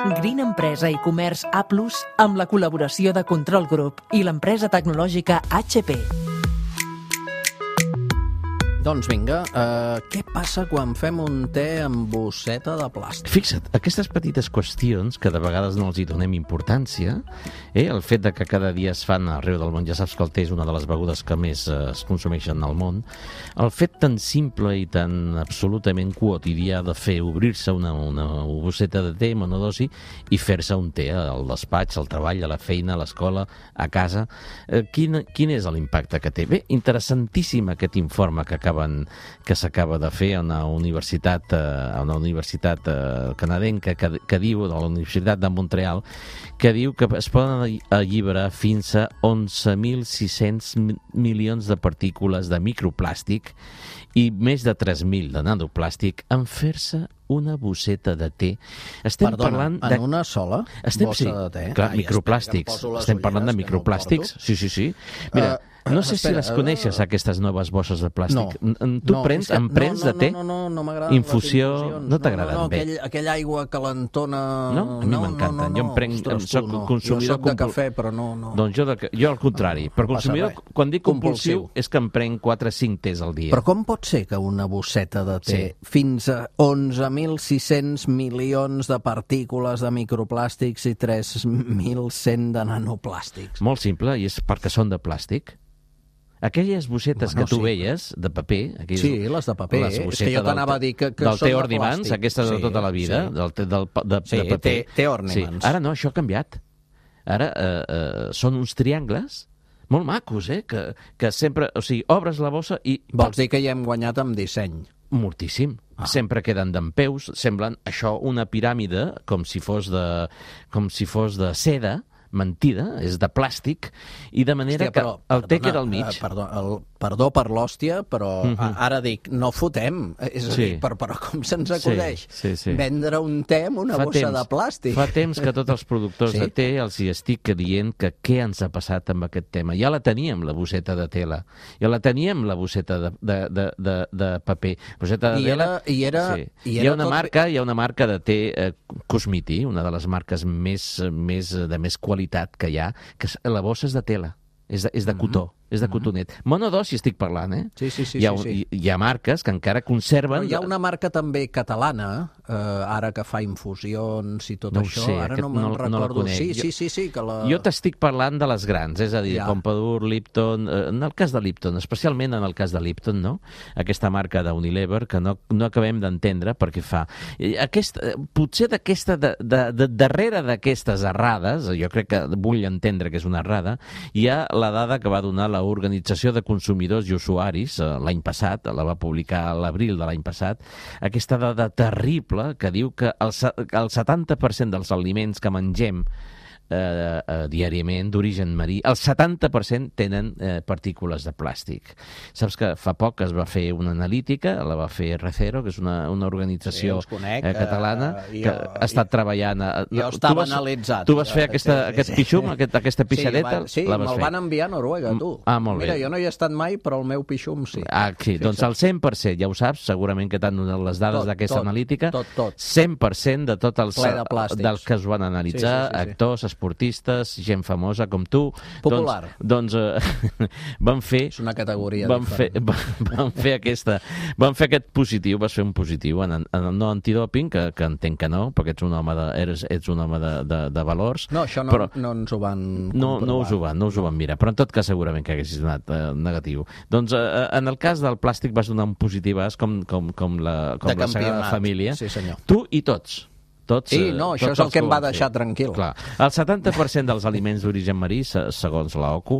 Green Empresa i Comerç A+, amb la col·laboració de Control Group i l'empresa tecnològica HP. Doncs vinga, què passa quan fem un te amb bosseta de plàstic? Fixa't, aquestes petites qüestions que de vegades no els hi donem importància, el fet de que cada dia es fan arreu del món, ja saps que el te és una de les begudes que més es consumeixen al món, el fet tan simple i tan absolutament quotidià de fer obrir-se una bosseta de te monodosi i fer-se un te al despatx, al treball, a la feina, a l'escola, a casa, quin és l'impacte que té? Bé, interessantíssim aquest informe que s'acaba de fer a una universitat canadenca que diu, de la Universitat de Montreal, que diu que es poden alliberar fins a 11.600 milions de partícules de microplàstic i més de 3.000 de nanoplàstic en fer-se una bosseta de te. En una sola bossa de te? Clar, microplàstics. Estem parlant de microplàstics. Sí. Mira, no sé si les coneixes, aquestes noves bosses de plàstic. Tu prens de te? No m'agrada. Infusió? No t'agraden bé? Aquella aigua calentona... No? A mi m'encanten. Jo em prenc... Soc consumidor... Jo soc de cafè, però no... Doncs jo al contrari. Per consumidor, quan dic compulsiu, és que em prenc 4 o 5 tés al dia. Però com pot ser que una bosseta de te fins a 11.600 milions de partícules de microplàstics i 3.100 de nanoplàstics? Molt simple, i és perquè són de plàstic. Aquelles bossetes que tu veies, de paper... Sí, les de paper. És que jo t'anava a dir que són de plàstic. Del Te Ornaments, aquestes de tota la vida, de paper. Te Ornaments. Ara no, això ha canviat. Ara són uns triangles molt macos, que sempre... O sigui, obres la bossa i... Vols dir que ja hem guanyat amb disseny? Moltíssim. Sempre queden dempeus, semblen això una piràmide com si fos de seda, mentida, és de plàstic, i de manera que el te queda al mig. Perdó per l'hòstia, però ara dic, no fotem. És a dir, però com se'ns acudeix vendre un te amb una bossa de plàstic? Fa temps que tots els productors de te els hi estic dient que què ens ha passat amb aquest tema. Ja la teníem, la bosseta de tela. Ja la teníem, la bosseta de paper. Bosseta de tela... Hi ha una marca de te Cosmiti, una de les marques de més qualitat que hi ha, que la bossa és de tela, és de cotó, és de cotonet. Monodosi estic parlant, Sí. Hi ha marques que encara conserven... Però hi ha una marca també catalana, ara que fa infusions i tot això, ara no me'n recordo. Sí, que la... Jo t'estic parlant de les grans, és a dir, Pompadour, Lipton, en el cas de Lipton, especialment en el cas de Lipton, no? Aquesta marca d'Unilever, que no acabem d'entendre per què fa. Potser darrere d'aquestes errades, jo crec que vull entendre que és una errada, hi ha la dada que va donar l'Organització de Consumidors i Usuaris l'any passat, la va publicar a l'abril de l'any passat, aquesta dada terrible que diu que el 70% dels aliments que mengem diàriament d'origen marí, el 70% tenen partícules de plàstic. Saps que fa poc es va fer una analítica, la va fer Recero, que és una organització catalana que ha estat treballant... Jo estava analitzat. Tu vas fer aquest pixum, aquesta pixadeta? Sí, me'l van enviar a Noruega, tu. Molt bé. Mira, jo no hi he estat mai, però el meu pixum sí. Sí, doncs el 100%, ja ho saps, segurament que t'han donat les dades d'aquesta analítica, tot. 100% de tots dels que es van analitzar, actors, esportistes, gent famosa com tu... Popular. Doncs van fer... És una categoria diferent. Van fer aquest positiu, vas fer un positiu en el no antidoping, que entenc que no, perquè ets un home de valors. No, això no ens ho van comprovar. No us ho van mirar, però en tot cas segurament que haguessis donat negatiu. Doncs en el cas del plàstic vas donar un positivàs com la Sagrada Família. Sí, senyor. Tu i tots. Això és el que em va deixar tranquil. Clar. El 70% dels aliments d'origen marí, segons l'OCU,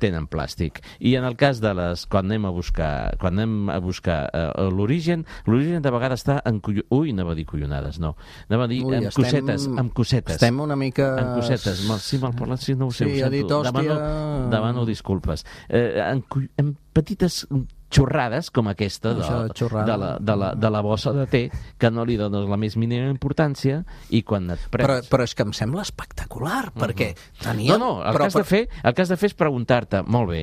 tenen plàstic. I en el cas de quan anem a buscar l'origen de vegades està en anava a dir collonades, no. Anava a dir en cosetes. Estem una mica... En cosetes. Sí, mal parlat, sí, no ho sé. Sí, ha dit hòstia... Demano disculpes. En petites xorrades com aquesta de la bossa de te, que no li dones la més mínima importància, i quan et prens... Però és que em sembla espectacular, perquè teníem... El que has de fer és preguntar-te, molt bé,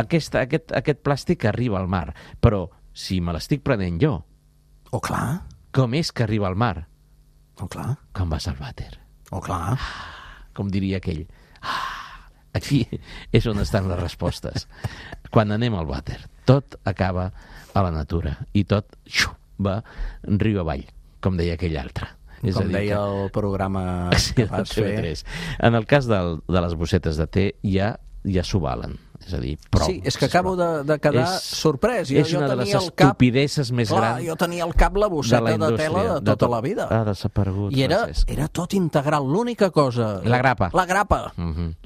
aquest plàstic arriba al mar, però si me l'estic prenent jo, clar. com és que arriba al mar? Clar. Com vas al vàter? Oh, clar. Com diria aquell. Aquí és on estan les respostes. Quan anem al vàter, tot acaba a la natura i tot va riu avall, com deia aquell altre. Com deia el programa que vas fer. En el cas de les bossetes de te ja s'ho valen. És a dir, prou. Sí, és que acabo de quedar sorprès. És una de les estupideses més grans. Clar, jo tenia al cap la bosseta de tela de tota la vida. Ha desaparegut, I era tot integral. L'única cosa... La grapa. La grapa.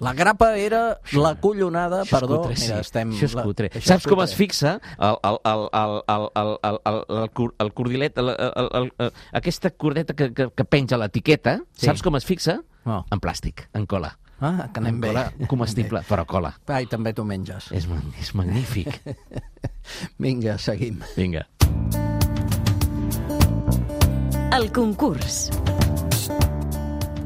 La grapa era la collonada... Perdó, mira, estem... Això és cutre. Saps com es fixa el cordilet, aquesta cordeta que penja l'etiqueta, saps com es fixa? En plàstic, en cola. Ah, que anem bé. Comestible, però cola. Ai, també tu menges. És magnífic. Vinga, seguim. Vinga. El concurs.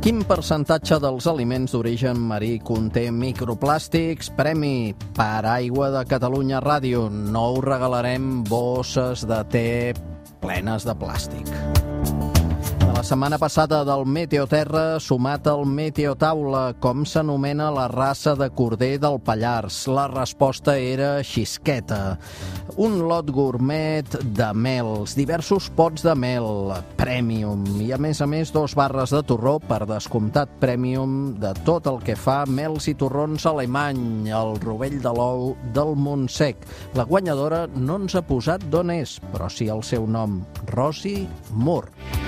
Quin percentatge dels aliments d'origen marí conté microplàstics? Premi per Aigua de Catalunya Ràdio. No us regalarem bosses de te plenes de plàstic. La setmana passada del Meteoterra sumat al Meteotaula, com s'anomena la raça de corder del Pallars? La resposta era xisqueta. Un lot gourmet de mels, diversos pots de mel, premium, i a més 2 barres de torró, per descomptat premium, de tot el que fa mels i torrons alemany, el rovell de l'ou del Montsec. La guanyadora no ens ha posat d'on és, però sí el seu nom, Rosi Moore.